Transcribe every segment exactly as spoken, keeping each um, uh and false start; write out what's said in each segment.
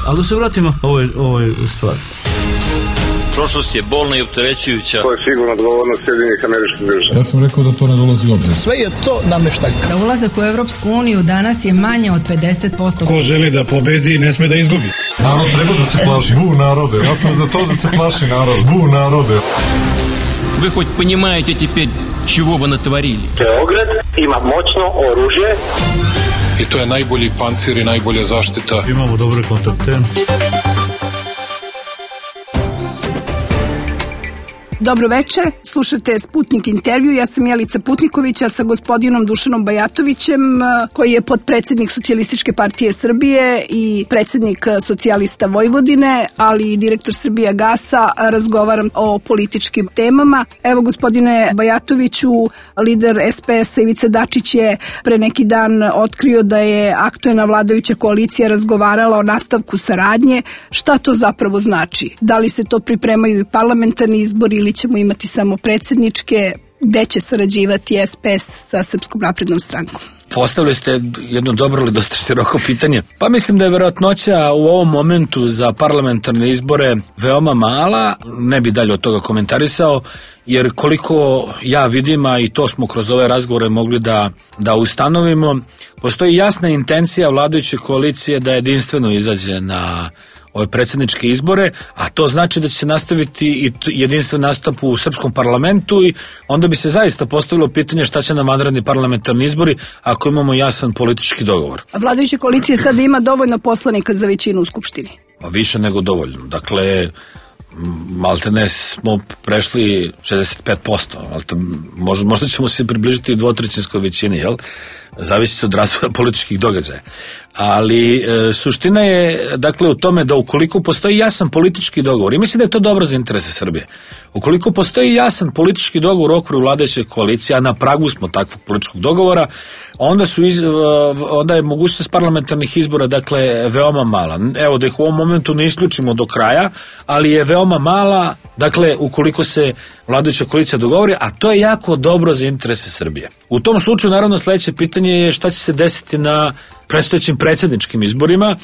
Ali da se vratimo ovoj, ovoj stvari. Prošlost je bolna i opterećujuća. To je sigurno odgovornost Sjedinjenih Američkih Država. Ja sam rekao da to ne dolazi u obzir. Sve je to nameštaljka. Za ulazak u Evropsku uniju danas je manje od pedeset posto. Ko želi da pobedi, ne sme da izgubi. Narod treba da se plaši. Bu narode. Ja sam za to da se plaši narod. Bu narode. Вы хоть понимаете теперь, чего вы натворили? Beograd ima moćno oružje. I to je najbolji pancir i najbolja zaštita. Imamo dobre kontakte. Dobro večer, slušate Sputnik intervju, ja sam Jelica Putnikovića sa gospodinom Dušanom Bajatovićem, koji je potpredsednik Socijalističke partije Srbije i predsednik Socijalista Vojvodine, ali i direktor Srbija gasa. Razgovaram o političkim temama. Evo, gospodine Bajatoviću, lider es pe es-a Ivica Dačić je pre neki dan otkrio da je aktuelna vladajuća koalicija razgovarala o nastavku saradnje. Šta to zapravo znači? Da li se to pripremaju i parlamentarni izbori ili ćemo imati samo predsjedničke, gde će sarađivati es pe es sa Srpskom naprednom strankom? Postavili ste jedno dobro ili dosta široko pitanje. Pa mislim da je verovatnoća u ovom momentu za parlamentarne izbore veoma mala, ne bi dalje od toga komentarisao, jer koliko ja vidim, a i to smo kroz ove razgovore mogli da, da ustanovimo, postoji jasna intencija vladajuće koalicije da jedinstveno izađe na ove predsjedničke izbore, a to znači da će se nastaviti i jedinstven nastup u srpskom parlamentu i onda bi se zaista postavilo pitanje šta će nam vanredni parlamentarni izbori ako imamo jasan politički dogovor. A vladajuća koalicija sada ima dovoljno poslanika za većinu u Skupštini? Pa više nego dovoljno. Dakle, maltene smo prešli šezdeset pet posto. Možda, možda ćemo se približiti dvotrećinskoj većini, jel? Zavisi od razvoja političkih događaja. Ali e, suština je dakle u tome da ukoliko postoji jasan politički dogovor, i mislim da je to dobro za interese Srbije, ukoliko postoji jasan politički dogovor u okviru vladajuće koalicije, a na pragu smo takvog političkog dogovora, onda su iz, onda je mogućnost parlamentarnih izbora dakle veoma mala. Evo da ih u ovom momentu ne isključimo do kraja, ali je veoma mala, dakle ukoliko se vladajuća koalicija dogovori, a to je jako dobro za interese Srbije. U tom slučaju naravno sledeće pitanje je šta će se desiti na predstojećim predsjedničkim izborima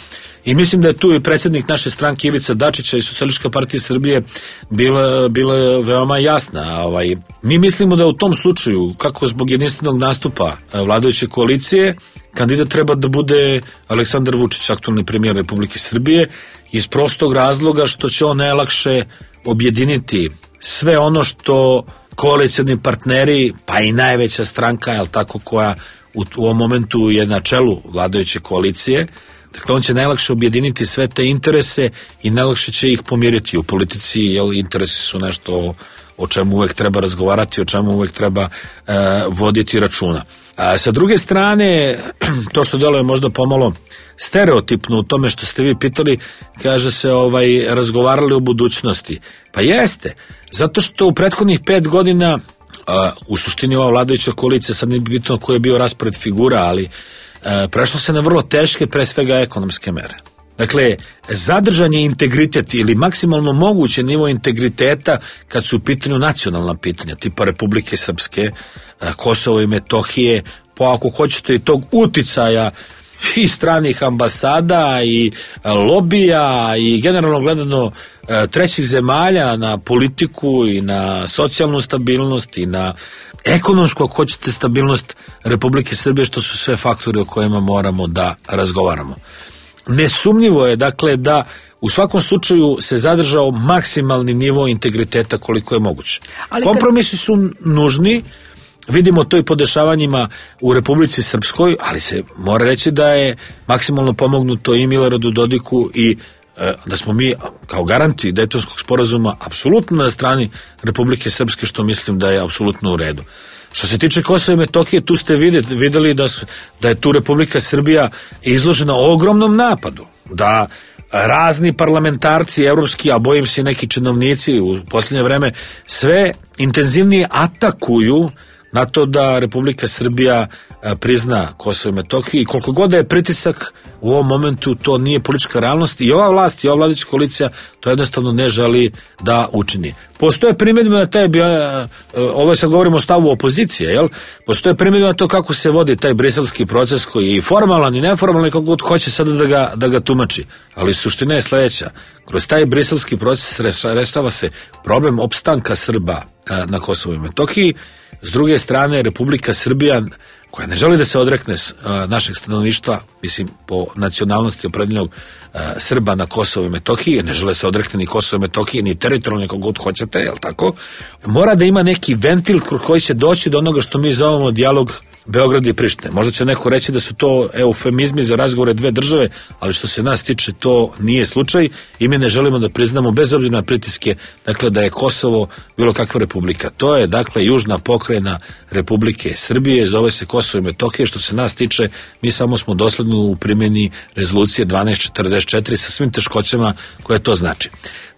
i mislim da je tu i predsjednik naše stranke Ivica Dačića i Socijalistička partija Srbije bila, bila veoma jasna. Ovaj, mi mislimo da u tom slučaju, kako zbog jedinstvenog nastupa vladajuće koalicije, kandidat treba da bude Aleksandar Vučić, aktualni premijer Republike Srbije, iz prostog razloga što će on najlakše objediniti sve ono što koalicijni partneri, pa i najveća stranka, jel tako, koja u, u ovom momentu je na čelu vladajuće koalicije, dakle on će najlakše objediniti sve te interese i najlakše će ih pomiriti. U politici, jel, interesi su nešto o, o čemu uvek treba razgovarati, o čemu uvek treba e, voditi računa. A sa druge strane, to što deluje možda pomalo stereotipno u tome što ste vi pitali, kaže se ovaj razgovarali o budućnosti. Pa jeste, zato što u prethodnih pet godina a, u suštini ova vladajuća koalicija, sad ne bi bitno koji je bio raspored figura, ali a, prešlo se na vrlo teške, pre svega ekonomske mere. Dakle, zadržan je integritet ili maksimalno moguće nivo integriteta kad su u pitanju nacionalna pitanja, tipa Republike Srpske, Kosovo i Metohije, pa ako hoćete i tog uticaja i stranih ambasada i lobija i generalno gledano trećih zemalja na politiku i na socijalnu stabilnost i na ekonomsku, ako hoćete, stabilnost Republike Srbije, što su sve faktori o kojima moramo da razgovaramo. Nesumnjivo je, dakle, da u svakom slučaju se zadržao maksimalni nivo integriteta koliko je moguće. Ali kompromisi kad... su nužni, vidimo to i po dešavanjima u Republici Srpskoj, ali se mora reći da je maksimalno pomognuto i Miloradu Dodiku i e, da smo mi kao garanti Dejtonskog sporazuma apsolutno na strani Republike Srpske, što mislim da je apsolutno u redu. Što se tiče Kosova i Metohije, tu ste vidjeli, vidjeli da, su, da je tu Republika Srbija izložena ogromnom napadu, da razni parlamentarci evropski, a bojim se neki činovnici u posljednje vreme sve intenzivnije atakuju na to da Republika Srbija prizna Kosovo i Metohiju i koliko god da je pritisak u ovom momentu, to nije politička realnost i ova vlast i ova vladajuća koalicija to jednostavno ne želi da učini. Postoje primjedbe na taj, ovo sad govorimo o stavu opozicije, jel? Postoje primjedbe na to kako se vodi taj briselski proces koji je i formalan i neformalan i kako god hoće sada da ga, da ga tumači. Ali suština je sledeća. Kroz taj briselski proces rešava se problem opstanka Srba na Kosovu i Metohiji. S druge strane, Republika Srbija, koja ne želi da se odrekne uh, našeg stanovništva, mislim, po nacionalnosti opredeljenog uh, Srba na Kosovo i Metohiji, ne žele se odrekne ni Kosovo i Metohije, ni teritorijalno nekog god hoćete, jel tako? Mora da ima neki ventil koji će doći do onoga što mi zovemo dijalog Beograda i Prištine. Možda će neko reći da su to eufemizmi za razgovore dve države, ali što se nas tiče to nije slučaj i mi ne želimo da priznamo bez obzira na pritiske, dakle da je Kosovo bilo kakva republika. To je dakle južna pokrajina Republike Srbije, zove se Kosovo i Metohija. Što se nas tiče, mi samo smo dosledni u primjeni rezolucije dvanaest četrdeset četiri sa svim teškoćama koje to znači.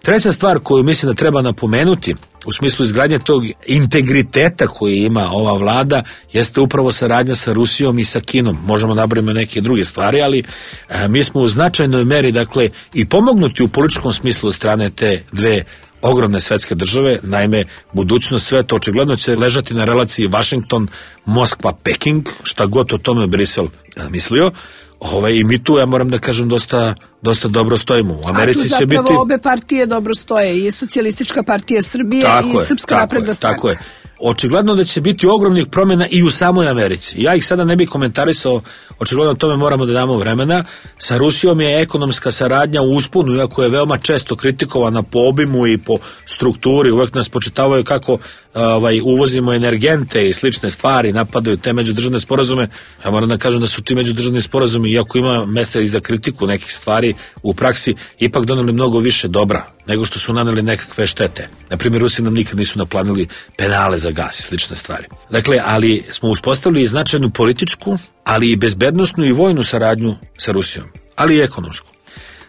Treća stvar koju mislim da treba napomenuti u smislu izgradnje tog integriteta koji ima ova vlada jeste upravo saradnja sa Rusijom i sa Kinom. Možemo nabrojiti neke druge stvari, ali a, mi smo u značajnoj meri dakle i pomognuti u političkom smislu od strane te dve ogromne svetske države. Naime, budućnost sveta očigledno će ležati na relaciji Washington, Moskva, Peking, šta god o tome Brisel mislio. Ove, i mi tu, ja moram da kažem, dosta, dosta dobro stojimo. U Americi će biti... A tu zapravo obe partije dobro stoje, i Socijalistička partija Srbije tako i je, Srpska napredna stranka. Tako je. Očigledno da će biti ogromnih promjena i u samoj Americi. Ja ih sada ne bih komentarisao, očigledno tome moramo da damo vremena. Sa Rusijom je ekonomska saradnja u usponu, iako je veoma često kritikovana po obimu i po strukturi. Uvek nas počitavaju kako ovaj, uvozimo energente i slične stvari, napadaju te međudržavne sporazume. Ja moram da kažem da su ti međudržavni sporazumi, iako ima mesta i za kritiku nekih stvari u praksi, ipak doneli mnogo više dobra nego što su naneli nekakve štete. Na primjer, Rusi nam nikad nisu naplanili penale za gas i slične stvari. Dakle, ali smo uspostavili značajnu političku, ali i bezbednosnu i vojnu saradnju sa Rusijom, ali i ekonomsku.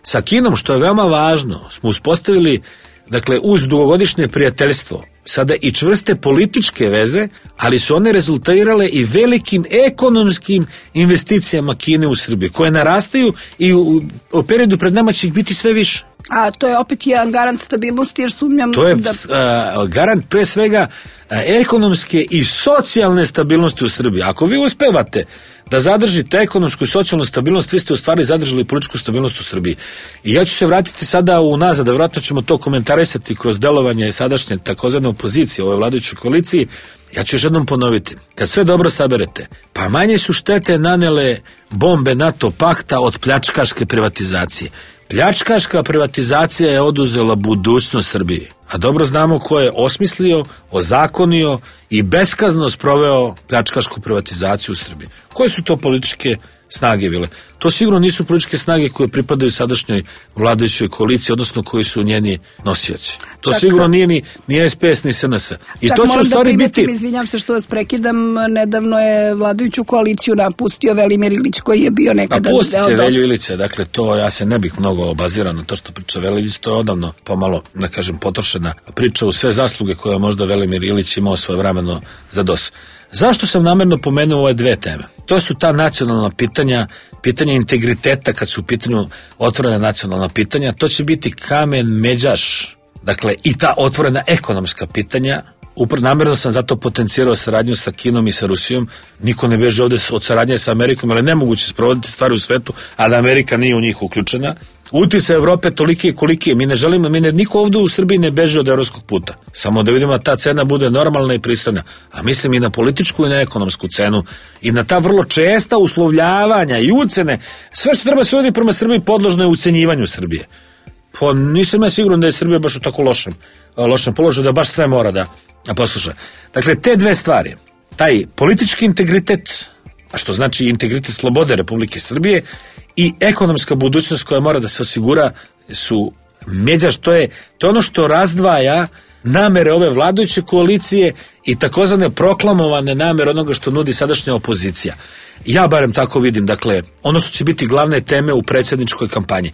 Sa Kinom, što je veoma važno, smo uspostavili, dakle, uz dugogodišnje prijateljstvo, sada i čvrste političke veze, ali su one rezultirale i velikim ekonomskim investicijama Kine u Srbiji, koje narastaju i u, u periodu pred nama će ih biti sve više. A to je opet jedan garant stabilnosti, jer sumnjam to je da... a, garant pre svega a, ekonomske i socijalne stabilnosti u Srbiji. Ako vi uspevate da zadržite ekonomsku i socijalnu stabilnost, vi ste u stvari zadržali političku stabilnost u Srbiji. I ja ću se vratiti sada unazad, da vjerojatno ćemo to komentarisati kroz delovanje sadašnje takozvane opozicije, ove vladajuće koaliciji. Ja ću još jednom ponoviti, kad sve dobro saberete, pa manje su štete nanele bombe NATO pakta od pljačkaške privatizacije. Pljačkaška privatizacija je oduzela budućnost Srbiji, a dobro znamo ko je osmislio, ozakonio i beskazno sproveo pljačkašku privatizaciju u Srbiji. Koje su to političke snage bile? To sigurno nisu političke snage koje pripadaju sadašnjoj vladajućoj koaliciji, odnosno koji su njeni nosioci. To čak, sigurno nije ni, ni S P S ni S N S. I čak to će u stvari da primetim, biti... izvinjam se što vas prekidam, nedavno je vladajuću koaliciju napustio Velimir Ilić, koji je bio nekada... Napustite Velju Ilića, dakle to ja se ne bih mnogo obazirao na to što priča Velimić, to je odavno pomalo, da kažem, potrošena priča u sve zasluge koje možda Velimir Ilić imao svoje vremeno za dos. Zašto sam namerno pomenuo ove dve teme? To su ta nacionalna pitanja, pitanje integriteta kad su u pitanju otvorena nacionalna pitanja, to će biti kamen međaš, dakle i ta otvorena ekonomska pitanja. Upravo namjerno sam zato potencirao saradnju sa Kinom i sa Rusijom. Niko ne beže ovde od saradnje sa Amerikom, ali nemoguće sprovoditi stvari u svetu, a da Amerika nije u njih uključena. Uticaj Evrope toliki i koliki je. Mi ne želimo, mi ne, niko ovdje u Srbiji ne beže od evropskog puta. Samo da vidimo da ta cena bude normalna i pristojna. A mislim i na političku i na ekonomsku cenu i na ta vrlo česta uslovljavanja i ucene. Sve što treba se voditi prema Srbiji podložno je ucenjivanju Srbije. Pa nisam ja siguran da je Srbija baš u tako lošem, lošem položaju, da baš sve mora da posluša. Dakle, te dve stvari, taj politički integritet, a što znači integritet slobode Republike Srbije, i ekonomska budućnost koja mora da se osigura, su međaš, to je, to je ono što razdvaja namere ove vladajuće koalicije i takozvane proklamovane namere onoga što nudi sadašnja opozicija. Ja barem tako vidim, dakle, ono što će biti glavne teme u predsjedničkoj kampanji.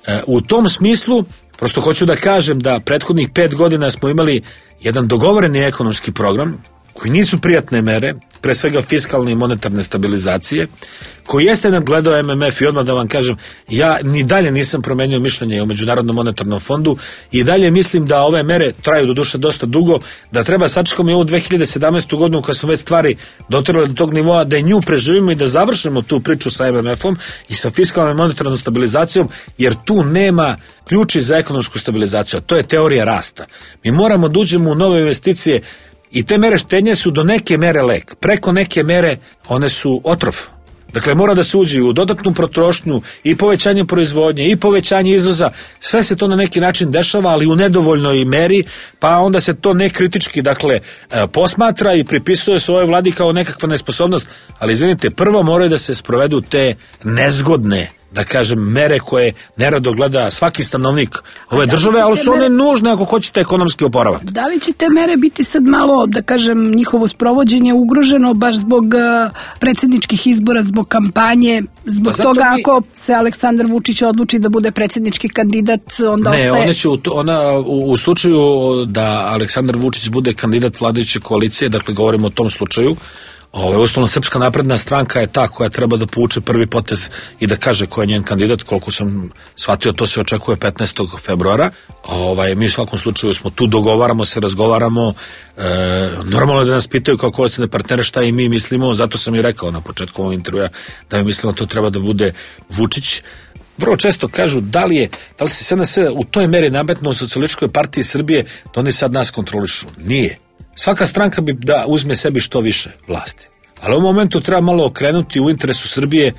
E, u tom smislu, prosto hoću da kažem da prethodnih pet godina smo imali jedan dogovoreni ekonomski program, koji nisu prijatne mere, pre svega fiskalne i monetarne stabilizacije, koji jeste nadgledao M M F i odmah da vam kažem, ja ni dalje nisam promenio mišljenje o Međunarodnom monetarnom fondu i dalje mislim da ove mere traju do duše dosta dugo, da treba sačekamo i ovu dve hiljade sedamnaestu godinu kad smo već stvari doterali do tog nivoa, da i nju preživimo i da završimo tu priču sa M M F-om i sa fiskalnom i monetarnom stabilizacijom, jer tu nema ključi za ekonomsku stabilizaciju, a to je teorija rasta. Mi moramo da uđemo u nove investicije i te mere štednje su do neke mere lek. Preko neke mere one su otrov. Dakle, mora da se uđe u dodatnu potrošnju i povećanje proizvodnje i povećanje izvoza. Sve se to na neki način dešava, ali u nedovoljnoj meri, pa onda se to nekritički, dakle, posmatra i pripisuje se ovoj vladi kao nekakva nesposobnost. Ali izvinite, prvo moraju da se sprovedu te nezgodne, da kažem, mere koje nerado gleda svaki stanovnik ove države, ali su one mere nužne ako hoćete ekonomski oporavak. Da li će te mere biti sad malo, da kažem, njihovo sprovođenje ugroženo baš zbog uh, predsjedničkih izbora, zbog kampanje, zbog pa toga mi... ako se Aleksandar Vučić odluči da bude predsjednički kandidat, onda ne, ostaje... Ne, ona će u, ona, u, u slučaju da Aleksandar Vučić bude kandidat vladajuće koalicije, dakle govorimo o tom slučaju, Ove, ustavno Srpska napredna stranka je ta koja treba da povuče prvi potez i da kaže ko je njen kandidat. Koliko sam shvatio, to se očekuje petnaestog februara. Ovaj, mi u svakom slučaju smo tu, dogovaramo se, razgovaramo. E, normalno je da nas pitaju kao koalicijne partnere šta i mi mislimo, zato sam i rekao na početku ovog intervjua da mi mislimo to treba da bude Vučić. Vrlo često kažu da li je, da li se S N S u toj meri nametnuo u Socijalističkoj partiji Srbije da oni sad nas kontrolišu. Nije. Svaka stranka bi da uzme sebi što više vlasti. Ali u momentu treba malo okrenuti u interesu Srbije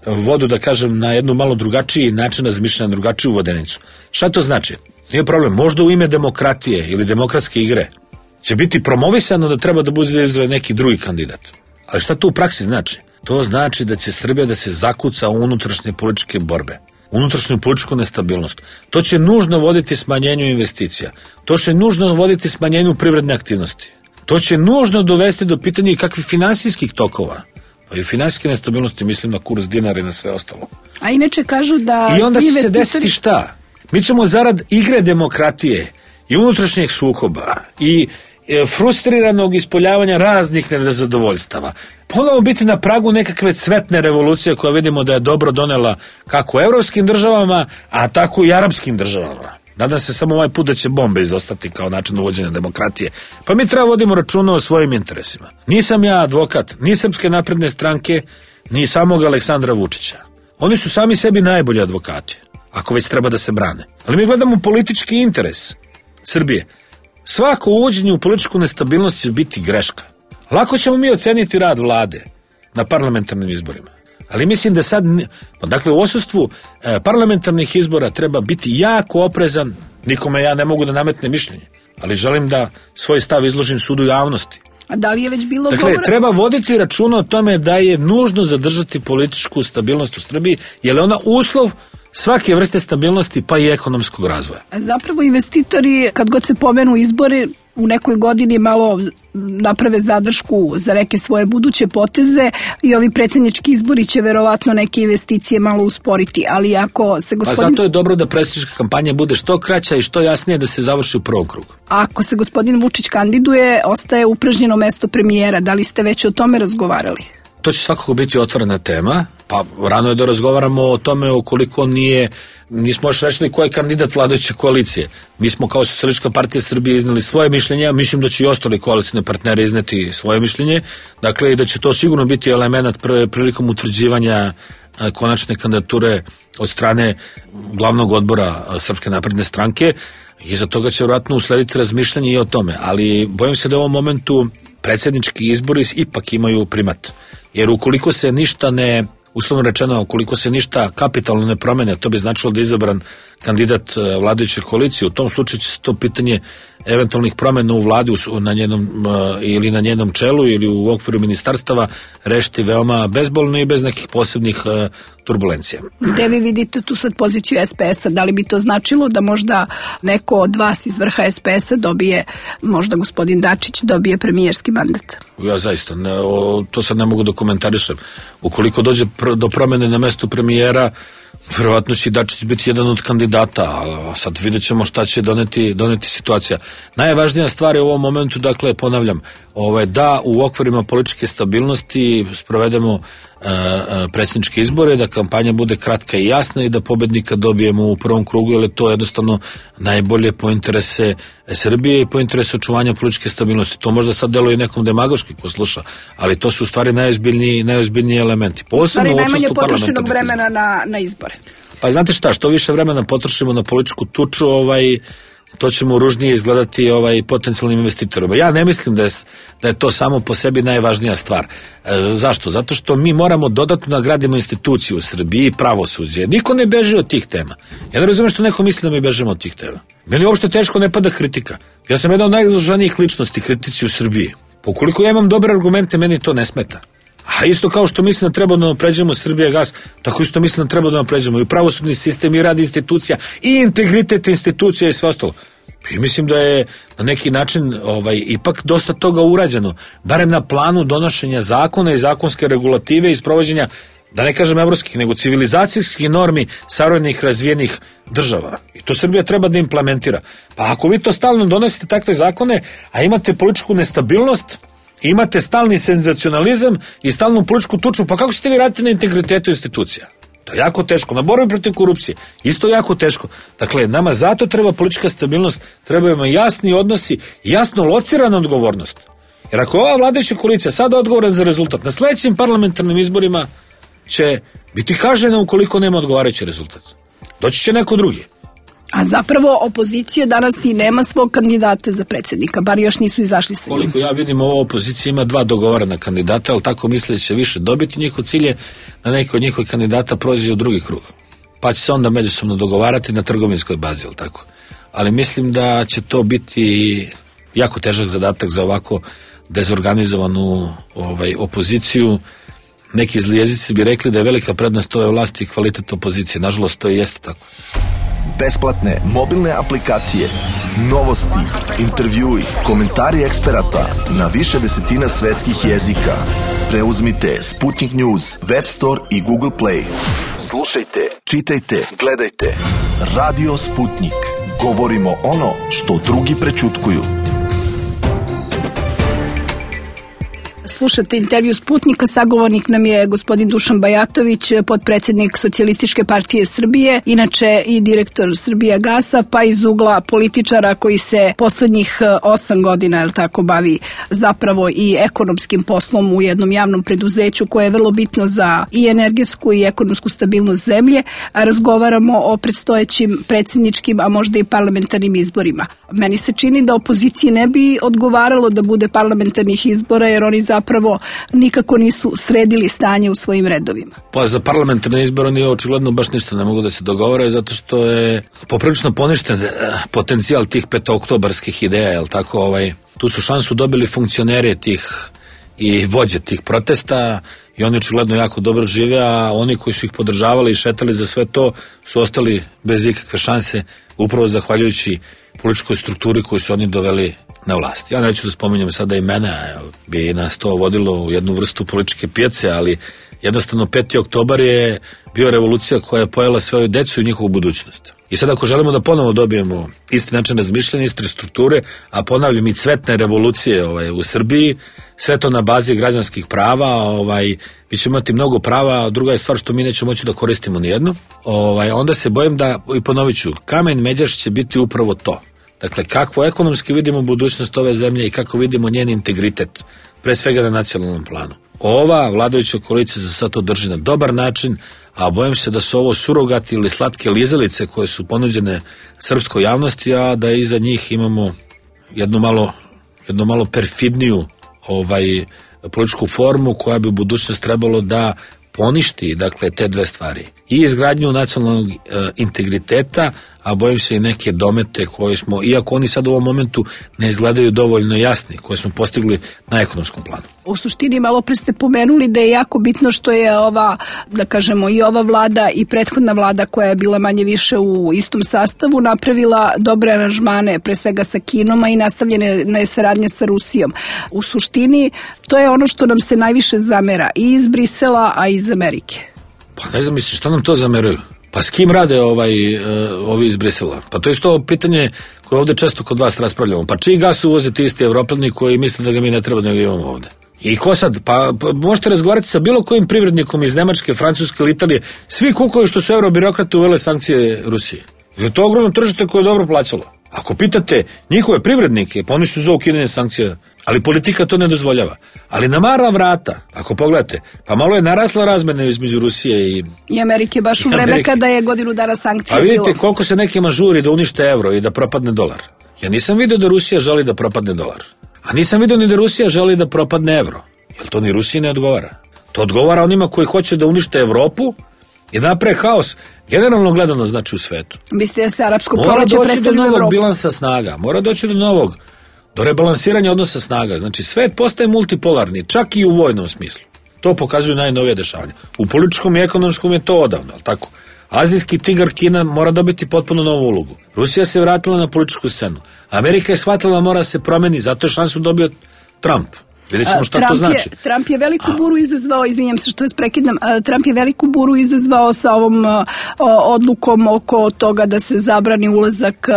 vodu, da kažem, na jednu malo drugačiji način razmišljanja, drugačiju vodenicu. Šta to znači? Nije problem. Možda u ime demokratije ili demokratske igre će biti promovisano da treba da bude neki drugi kandidat. Ali šta to u praksi znači? To znači da će Srbija da se zakuca u unutrašnje političke borbe, unutrašnju političku nestabilnost. To će nužno voditi smanjenju investicija. To će nužno voditi smanjenju privredne aktivnosti. To će nužno dovesti do pitanja i kakvih finansijskih tokova. Pa i finansijske nestabilnosti, mislim na kurs dinara i na sve ostalo. A inače kažu da... I onda će se desiti šta? Mi ćemo zarad igre demokratije i unutrašnjeg sukoba i frustriranog ispoljavanja raznih nezadovoljstava ponovo biti na pragu nekakve cvetne revolucije koja vidimo da je dobro donela kako evropskim državama, a tako i arapskim državama. Nadam se samo ovaj put da će bombe izostati kao način uvođenja demokratije. Pa mi treba vodimo računa o svojim interesima. Nisam ja advokat ni Srpske napredne stranke, ni samog Aleksandra Vučića. Oni su sami sebi najbolji advokati, ako već treba da se brane. Ali mi gledamo politički interes Srbije. Svako uvođenje u političku nestabilnost će biti greška. Lako ćemo mi oceniti rad vlade na parlamentarnim izborima. Ali mislim da sad, dakle u odsustvu e, parlamentarnih izbora treba biti jako oprezan. Nikome ja ne mogu da nametnem mišljenje, ali želim da svoj stav izložim sudu javnosti. A da li je već bilo dakle, govora? Treba voditi računa o tome da je nužno zadržati političku stabilnost u Srbiji, jer je ona uslov svake vrste stabilnosti pa i ekonomskog razvoja. Zapravo investitori, kad god se pomenu izbori, u nekoj godini malo naprave zadršku za neke svoje buduće poteze i ovi predsjednički izbori će verovatno neke investicije malo usporiti, ali ako se gospodin... Pa zato je dobro da predsjednička kampanja bude što kraća i što jasnije da se završi u prvom krugu. Ako se gospodin Vučić kandiduje, ostaje upražnjeno mesto premijera. Da li ste već o tome razgovarali? To će svakako biti otvorena tema, pa rano je da razgovaramo o tome ukoliko nije, nismo još rešili ko je kandidat vladajuće koalicije. Mi smo kao Socijalistička partija Srbije iznali svoje mišljenje, a mislim da će i ostali koalicijne partnere izneti svoje mišljenje, dakle i da će to sigurno biti element prilikom utvrđivanja konačne kandidature od strane glavnog odbora Srpske napredne stranke i za toga će vjerojatno uslediti razmišljanje i o tome, ali bojim se da u ovom momentu predsjednički izbori ipak imaju primat. Jer ukoliko se ništa ne, uslovno rečeno, ukoliko se ništa kapitalno ne promene, to bi značilo da je izabran kandidat vladajuće koalicije. U tom slučaju će se to pitanje eventualnih promjena u vladi na njenom, ili na njenom čelu ili u okviru ministarstava rešiti veoma bezbolno i bez nekih posebnih turbulencija. Gde vi vidite tu sad poziciju S P S-a? Da li bi to značilo da možda neko od vas iz vrha S P S-a dobije, možda gospodin Dačić dobije premijerski mandat? Ja zaista, ne, o, to sad ne mogu da komentarišem. Ukoliko dođe pr- do promjene na mestu premijera, verovatno će Dačić biti jedan od kandidata, a sad vidjet ćemo šta će doneti, doneti situacija. Najvažnija stvar je u ovom momentu, dakle, ponavljam, ovaj, da u okvirima političke stabilnosti sprovedemo uh, predsjedničke izbore, da kampanja bude kratka i jasna i da pobednika dobijemo u prvom krugu, jer je to jednostavno najbolje po interese Srbije i po interesu očuvanja političke stabilnosti. To možda sad deluje nekom demagoški ko sluša, ali to su u stvari najozbiljniji, najozbiljniji elementi. U stvari najmanje potrošenog vremena na, na izbore. Pa znate šta, što više vremena potrošimo na političku tuču, ovaj, to ćemo ružnije izgledati ovaj, potencijalnim investitorima. Ja ne mislim da je, da je to samo po sebi najvažnija stvar. E, zašto? Zato što mi moramo dodatno nagradimo instituciju u Srbiji i pravosuđe. Niko ne beži od tih tema. Ja ne razumijem što neko misli da mi bežemo od tih tema. Meni uopšte teško ne pada kritika. Ja sam jedan od najizloženijih ličnosti kritici u Srbiji. Pokoliko ja imam dobre argumente, meni to ne smeta. A isto kao što mislim da treba da napređujemo Srbijagas, tako isto mislim da treba da napređujemo i pravosudni sistem i rad institucija i integritet institucija i sve ostalo. I mislim da je na neki način ovaj, ipak dosta toga urađeno, barem na planu donošenja zakona i zakonske regulative i sprovođenja, da ne kažem evropskih, nego civilizacijskih normi savremenih razvijenih država. I to Srbija treba da implementira. Pa ako vi to stalno donosite takve zakone, a imate političku nestabilnost, imate stalni senzacionalizam i stalnu političku tuču, pa kako ćete vi raditi na integritetu institucija? To je jako teško. Na borbi protiv korupcije isto jako teško. Dakle, nama zato treba politička stabilnost, treba ima jasni odnosi, jasno locirana odgovornost. Jer ako ova vladajuća koalicija sada odgovoran za rezultat, na sledećim parlamentarnim izborima će biti kažnjena ukoliko nema odgovarajući rezultat. Doći će neko drugi. A zapravo opozicija danas i nema svog kandidata za predsjednika, bar još nisu izašli sa njim. Koliko ja vidim, ova opozicija ima dva dogovorena kandidata, ali tako misle da će više dobiti. Njihov cilj je da neko od njihovih kandidata prođe u drugi krug. Pa će se onda međusobno dogovarati na trgovinskoj bazi, ali tako. Ali mislim da će to biti jako težak zadatak za ovako dezorganizovanu ovaj, opoziciju. Neki zli jezici bi rekli da je velika prednost ove vlasti i kvalitet opozicije. Nažalost, to i jeste tako. Besplatne mobilne aplikacije, novosti, intervjui, komentari eksperata na više desetina svetskih jezika. Preuzmite Sputnik News, Web Store i Google Play. Slušajte, čitajte, gledajte. Radio Sputnik. Govorimo ono što drugi prećutkuju. Slušate intervju Sputnika, sagovornik nam je gospodin Dušan Bajatović, potpredsjednik Socijalističke partije Srbije, inače i direktor Srbijagasa, pa iz ugla političara koji se poslednjih osam godina, jel tako, bavi zapravo i ekonomskim poslom u jednom javnom preduzeću koje je vrlo bitno za i energetsku i ekonomsku stabilnost zemlje. Razgovaramo o predstojećim predsjedničkim, a možda i parlamentarnim izborima. Meni se čini da opoziciji ne bi odgovaralo da bude parlamentarnih izbora, jer oni zapravo nikako nisu sredili stanje u svojim redovima. Pa za parlamentarne izbore oni očigledno baš ništa ne mogu da se dogovore, zato što je poprilično poništen potencijal tih petooktobarskih ideja, jel tako, ovaj, tu su šansu dobili funkcioneri tih i vođe tih protesta i oni očigledno jako dobro žive, a oni koji su ih podržavali i šetali za sve to su ostali bez ikakve šanse, upravo zahvaljujući političkoj strukturi koju su oni doveli na vlast. Ja neću da spominjem sada imena, bi nas to vodilo u jednu vrstu političke pijace, ali jednostavno peti oktobar je bio revolucija koja je pojela svoju decu i njihovu budućnost. I sad ako želimo da ponovo dobijemo isti način razmišljanja, iste strukture, a ponavljam i cvetne revolucije ovaj, u Srbiji, sve to na bazi građanskih prava, ovaj, mi ćemo imati mnogo prava, a druga je stvar što mi nećemo moći da koristimo nijedno, ovaj, onda se bojim da, i ponovit ću, kamen međaš će biti upravo to. Dakle, kako ekonomski vidimo budućnost ove zemlje i kako vidimo njen integritet, pre svega na nacionalnom planu. Ova vladajuća koalicija za sad to drži na dobar način, a bojim se da su ovo surogati ili slatke lizalice koje su ponuđene srpskoj javnosti, a da iza njih imamo jednu malo, jednu malo perfidniju ovaj, političku formu koja bi u budućnost trebalo da poništi, dakle, te dve stvari. I izgradnju nacionalnog e, integriteta, a bojim se i neke domete koje smo, iako oni sad u ovom momentu ne izgledaju dovoljno jasni, koje smo postigli na ekonomskom planu. U suštini malo pre ste pomenuli da je jako bitno što je ova, da kažemo, i ova vlada i prethodna vlada koja je bila manje više u istom sastavu napravila dobre aranžmane, pre svega sa Kinom, a i nastavljene je saradnja sa Rusijom. U suštini to je ono što nam se najviše zamera i iz Brisela, a i iz Amerike. Pa ne znam, misliš, šta nam to zameraju? Pa s kim rade ovaj, uh, ovi iz Brisela? Pa to je isto pitanje koje ovde često kod vas raspravljamo. Pa čiji gas uvoze ti isti Evropljani koji misle da ga mi ne treba da ga imamo ovde? I ko sad? Pa, pa možete razgovarati sa bilo kojim privrednikom iz Nemačke, Francuske ili Italije. Svi kukuju što su eurobirokrate uvele sankcije Rusiji. Je to ogromno tržište koje je dobro plaćalo. Ako pitate njihove privrednike, pa oni su za ukidanje sankcija, ali politika to ne dozvoljava. Ali na mara vrata, ako pogledate, pa malo je narasla razmena između Rusije i... I Amerike baš u vreme kada je godinu dana sankcija bilo. Pa vidite bilo. koliko se nekima žuri da unište evro i da propadne dolar. Ja nisam vidio da Rusija želi da propadne dolar. A nisam vidio ni da Rusija želi da propadne evro. Jer to ni Rusiji ne odgovara. To odgovara onima koji hoće da unište Evropu i naprave haos, generalno gledano znači u svetu. Mislite da se arapsko mora proleće doći predstavlja do u novog Evropu? bilansa snaga, mora doći do novog, do rebalansiranja odnosa snaga. Znači svet postaje multipolarni, čak i u vojnom smislu. To pokazuju najnovije dešavanja. U političkom i ekonomskom je to odavno, ali tako? Azijski tigar Kina mora dobiti potpuno novu ulogu. Rusija se vratila na političku scenu. Amerika je shvatila da mora se promeni, zato je šansu dobio Trump. Vidjet ćemo šta Trump to znači. Je, Trump je veliku buru izazvao, izvinjam se što je prekidam, Trump je veliku buru izazvao sa ovom o, odlukom oko toga da se zabrani ulazak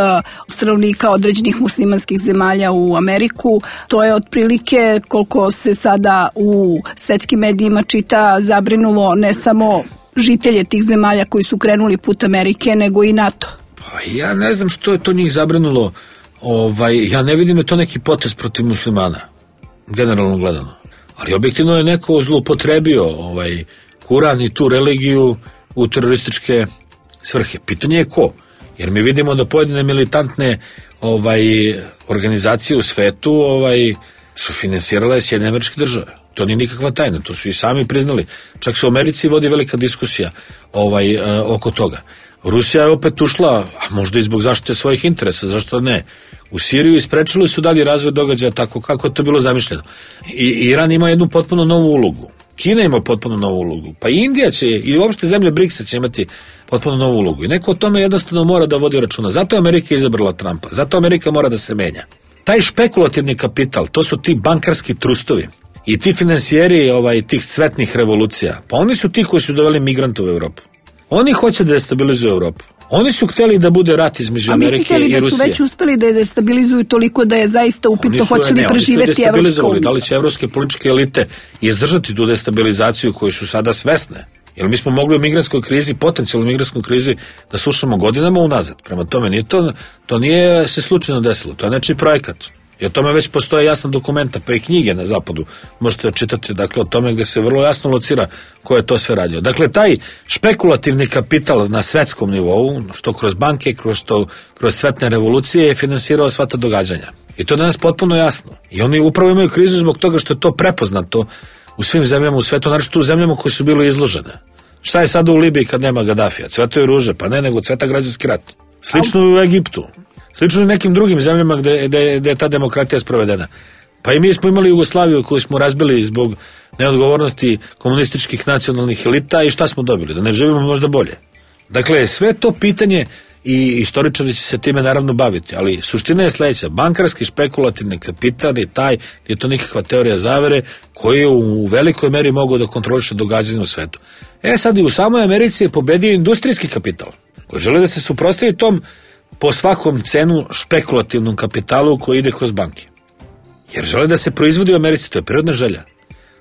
stanovnika određenih muslimanskih zemalja u Ameriku. To je otprilike, koliko se sada u svetskim medijima čita, zabrinulo ne samo žitelje tih zemalja koji su krenuli put Amerike, nego i NATO. Pa ja ne znam što je to njih zabrinulo. Ovaj, ja ne vidim je to neki potez protiv muslimana, generalno gledano. Ali objektivno je neko zloupotrebio ovaj, Kuran i tu religiju u terorističke svrhe. Pitanje je ko? Jer mi vidimo da pojedine militantne ovaj, organizacije u svetu ovaj, su finansirale Sjedinjene Američke Države. To nije nikakva tajna, to su i sami priznali. Čak se u Americi vodi velika diskusija ovaj, oko toga. Rusija je opet ušla, a možda i zbog zaštite svojih interesa, zašto ne, u Siriju i sprečili su dalje razvoj događaja tako kako je to bilo zamišljeno. I Iran ima jednu potpuno novu ulogu. Kina ima potpuno novu ulogu. Pa i Indija će, i uopšte zemlje briksa će imati potpuno novu ulogu. I neko o tome jednostavno mora da vodi računa. Zato je Amerika izabrala Trumpa. Zato Amerika mora da se menja. Taj špekulativni kapital, to su ti bankarski trustovi. I ti finansijeri ovaj, tih cvetnih revolucija, pa oni su ti koji su doveli migrante u Evropu. Oni hoće da destabilizuju Evropu. Oni su hteli da bude rat između Amerike i Rusije. A mislite li da su već uspeli da je destabilizuju toliko da je zaista upitno hoće li preživeti Evropska unija? Da li će evropske političke elite izdržati tu destabilizaciju koju su sada svesne? Jer mi smo mogli u migrantskoj krizi, potencijalno migrantskoj krizi, da slušamo godinama unazad. Prema tome, nije to, to nije se slučajno desilo. To je nečiji projekat. I o tome već postoje jasna dokumenta, pa i knjige na zapadu možete čitati, dakle, o tome gde se vrlo jasno locira ko je to sve radio. Dakle, taj špekulativni kapital na svetskom nivou, što kroz banke, kroz, to, kroz svetne revolucije, je finansirao sva ta događanja. I to je danas potpuno jasno. I oni upravo imaju krizu zbog toga što je to prepoznato u svim zemljama u svetu, naročito u zemljama koje su bile izložene. Šta je sada u Libiji kad nema Gadafija? Cvetaju ruže, pa ne, nego cveta građanski rat. Slično i u Egiptu. Slično i nekim drugim zemljama gde, gde, gde je ta demokratija sprovedena. Pa i mi smo imali Jugoslaviju koju smo razbili zbog neodgovornosti komunističkih nacionalnih elita i šta smo dobili? Da ne živimo možda bolje. Dakle, sve to pitanje i istoričari će se time naravno baviti, ali suština je sledeća. Bankarski špekulativni kapital je taj, je to nikakva teorija zavere koji je u velikoj meri mogao da kontroliše događanje u svetu. E sad i u samoj Americi je pobedio industrijski kapital koji žele da se suprotstavi tom po svakom cenu špekulativnom kapitalu koji ide kroz banke. Jer žele da se proizvodi u Americi, to je prirodna želja.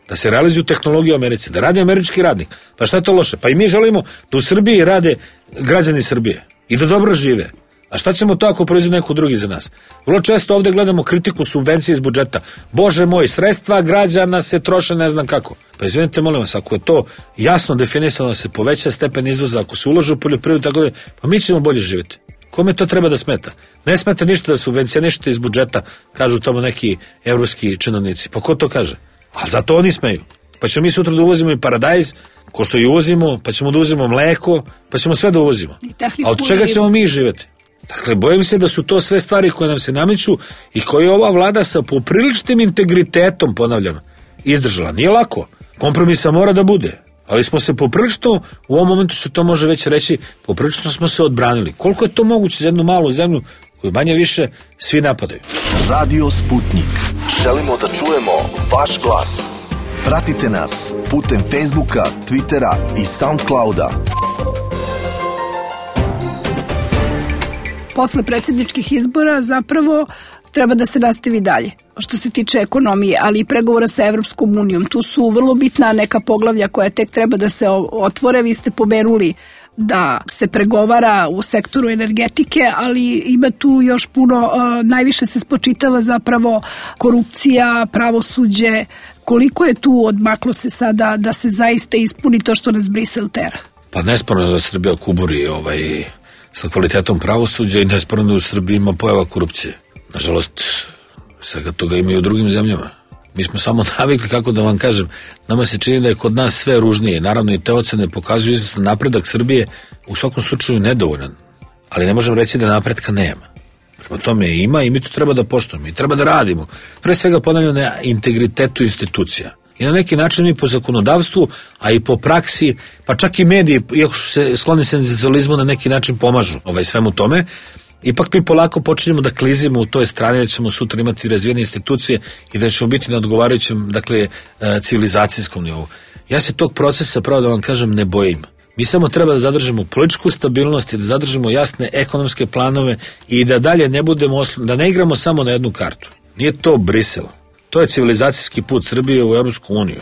Da se realizuju tehnologije u Americi, da radi američki radnik. Pa šta je to loše? Pa i mi želimo da u Srbiji rade građani Srbije i da dobro žive. A šta ćemo to ako proizvodi neko drugi za nas? Vrlo često ovde gledamo kritiku subvencije iz budžeta. Bože moj, sredstva građana se troše ne znam kako. Pa izvinite, molim vas, ako je to jasno definisano da se poveća stepen izvoza, ako se ulaže u poljoprivredu, tako da, pa mi ćemo bolje živjeti. Kome to treba da smeta? Ne smeta ništa da subvencionišete iz budžeta, kažu tamo neki evropski činovnici. Pa ko to kaže? A zato oni smeju. Pa ćemo mi sutra da uvozimo i paradajz, ko što i uvozimo, pa ćemo da uvozimo mleko, pa ćemo sve da uvozimo. A od čega ćemo mi živjeti? Dakle, bojim se da su to sve stvari koje nam se nameću i koje ova vlada sa popriličnim integritetom, ponavljam, izdržala. Nije lako. Kompromisa mora da bude. Ali smo se poprilično, u ovom momentu se to može već reći, poprilično smo se odbranili. Koliko je to moguće za jednu malu zemlju koju manje više svi napadaju? Radio Sputnik. Želimo da čujemo vaš glas. Pratite nas putem Facebooka, Twittera i Soundclouda. Posle predsjedničkih izbora zapravo treba da se nastavi dalje što se tiče ekonomije, ali i pregovora sa Evropskom unijom. Tu su vrlo bitna neka poglavlja koja tek treba da se otvore. Vi ste pomenuli da se pregovara u sektoru energetike, ali ima tu još puno, najviše se spočitava zapravo korupcija, pravosuđe. Koliko je tu odmaklo se sada da se zaista ispuni to što nas Brisel tera? Pa nesporno je da Srbija kuburi ovaj, sa kvalitetom pravosuđa i nesporno da u Srbiji ima pojava korupcije. Nažalost, svega toga ima i u drugim zemljama. Mi smo samo navikli, kako da vam kažem, nama se čini da je kod nas sve ružnije. Naravno i te ocene pokazuju izvestan napredak Srbije, u svakom slučaju nedovoljan. Ali ne možemo reći da napretka nema. Prema tome ima i mi to treba da poštujemo i treba da radimo. Pre svega ponavljamo na integritetu institucija. I na neki način mi po zakonodavstvu, a i po praksi, pa čak i mediji, iako su se skloni senzacionalizmu, na neki način pomažu ovaj svemu tome. Ipak mi polako počinjemo da klizimo u toj strani da ćemo sutra imati razvijene institucije i da ćemo biti na odgovarajućem, dakle, civilizacijskom nivou. Ja se tog procesa, pravo da vam kažem, ne bojim. Mi samo treba da zadržimo političku stabilnost i da zadržimo jasne ekonomske planove i da dalje ne budemo, oslo... da ne igramo samo na jednu kartu. Nije to Brisel. To je civilizacijski put Srbije u Evropsku uniju.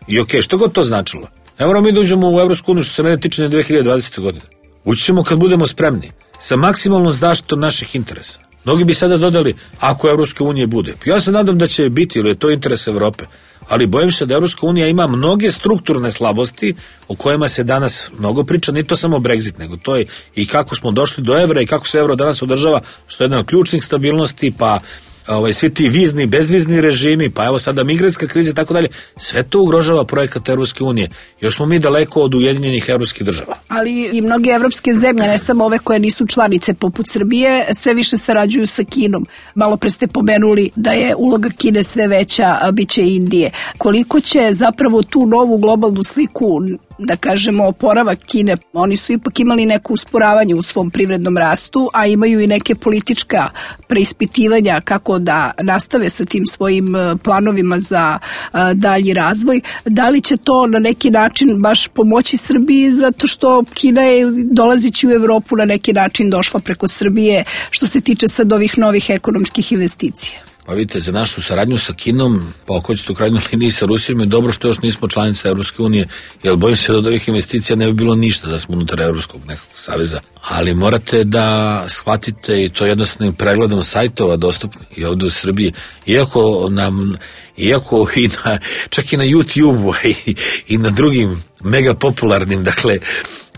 I okej, okay, što god to značilo. Ne moramo mi da uđemo u Evropsku uniju, što se mene tiče na dve hiljade dvadesete. godine. Ući ćemo kad budemo spremni, sa maksimalnom zaštitom naših interesa. Mnogi bi sada dodali, ako Evropske unije bude. Ja se nadam da će biti, ili je to interes Evrope. Ali bojim se da Evropska unija ima mnoge strukturne slabosti o kojima se danas mnogo priča, ni to samo Brexit, nego to je i kako smo došli do evra i kako se evro danas održava, što je jedna od ključnih stabilnosti, pa ovaj, svi ti vizni, bezvizni režimi, pa evo sada migrantska kriza i tako dalje, sve to ugrožava projekat Evropske unije. Još smo mi daleko od ujedinjenih evropskih država. Ali i mnoge evropske zemlje, ne samo ove koje nisu članice poput Srbije, sve više sarađuju sa Kinom. Malo pre ste pomenuli da je uloga Kine sve veća, a bit će i Indije. Koliko će zapravo tu novu globalnu sliku, da kažemo, oporavak Kine, oni su ipak imali neko usporavanje u svom privrednom rastu, a imaju i neke politička preispitivanja kako da nastave sa tim svojim planovima za dalji razvoj. Da li će to na neki način baš pomoći Srbiji, zato što Kina je dolazeći u Evropu na neki način došla preko Srbije što se tiče sad ovih novih ekonomskih investicija? Pa vidite, za našu saradnju sa Kinom, pa ako ćete u krajnjoj liniji sa Rusijom, je dobro što još nismo članica Evropske unije, jer bojim se da od ovih investicija ne bi bilo ništa da smo unutar Evropskog nekog saveza. Ali morate da shvatite, i to jednostavnim pregledom sajtova dostupni i ovde u Srbiji, iako nam, iako i na, čak i na YouTube-u i, i na drugim mega popularnim, dakle,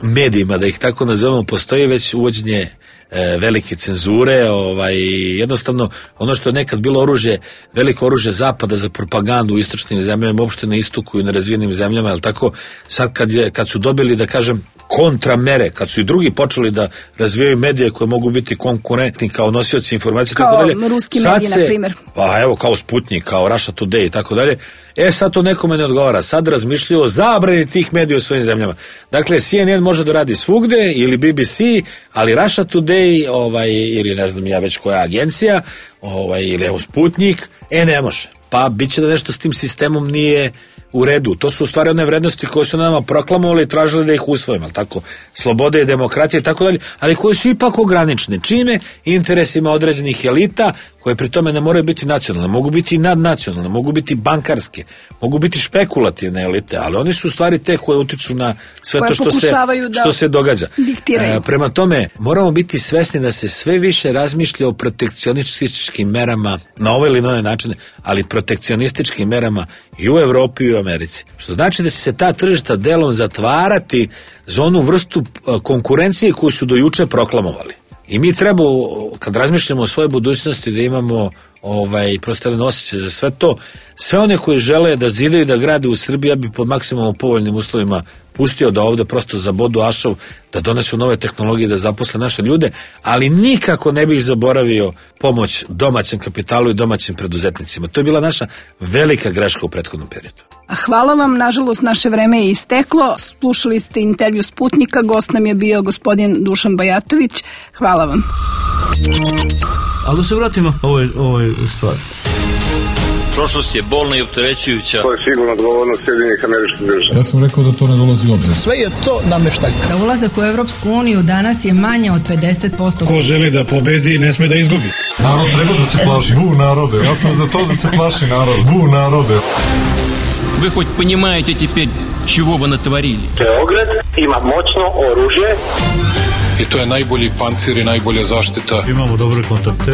medijima, da ih tako nazovemo, postoji već uvođenje e, velike cenzure, ovaj, jednostavno ono što je nekad bilo oružje, veliko oružje zapada za propagandu u istočnim zemljama, uopšte na istoku i na razvijenim zemljama, ali tako, sad kad, je, kad su dobili, da kažem, kontramere, kad su i drugi počeli da razvijaju medije koje mogu biti konkurentni kao nosioci informacije, kao tako dalje, ruski mediji, na primjer. Pa evo, kao Sputnik, kao Russia Today i tako dalje. E, sad to nekome ne odgovara. Sad razmišljaju o zabrani tih medija u svojim zemljama. Dakle, C N N može da radi svugde, ili B B C, ali Russia Today, ovaj, ili ne znam ja već koja agencija, ovaj, ili evo Sputnik, e, ne može. Pa bit će da nešto s tim sistemom nije u redu. To su u stvari one vrednosti koje su nama proklamovali i tražili da ih usvojimo, tako? Slobode i demokratije i tako dalje, ali koje su ipak ograničene. Čime? Interesima određenih elita, koje pri tome ne moraju biti nacionalne, mogu biti i nadnacionalne, mogu biti bankarske, mogu biti špekulativne elite, ali oni su u stvari te koje utiču na sve koje to što se, što se događa. E, prema tome, moramo biti svesni da se sve više razmišlja o protekcionističkim merama na ove ili nove načine, ali protekcionističkim merama i u Evropi i u Americi. Što znači da će se ta tržišta delom zatvarati za onu vrstu konkurencije koju su do juče proklamovali. I mi treba, kad razmišljamo o svojoj budućnosti, da imamo ovaj, prosto jedan osjećaj za sve to. Sve one koji žele da zidaju da grade u Srbiji, ja bi pod maksimalno povoljnim uslovima pustio da ovde prosto zabodu ašov, da donesu nove tehnologije, da zaposle naše ljude, ali nikako ne bih zaboravio pomoć domaćem kapitalu i domaćim preduzetnicima. To je bila naša velika greška u prethodnom periodu. Hvala vam, nažalost naše vreme je isteklo. Slušali ste intervju Sputnika, gost nam je bio gospodin Dušan Bajatović. Hvala vam. Ali da se vratimo ovoj, ovoj stvari. Prošlost je bolna i opterećujuća. To je sigurno odgovornost Sjedinjenih Američkih Država. Ja sam rekao da to ne dolazi u obzir. Sve je to nameštaljka. Za ulazak u Evropsku uniju danas je manje od pedeset posto. Ko želi da pobedi, ne sme da izgubi. Narod treba da se plaši. Bu narode. Ja sam za to da se plaši narod. Bu narode. Вы хоть понимаете теперь, чего вы натворили? Beograd ima moćno oružje. I to je najbolji pancir i najbolja zaštita. Imamo dobre kontakte.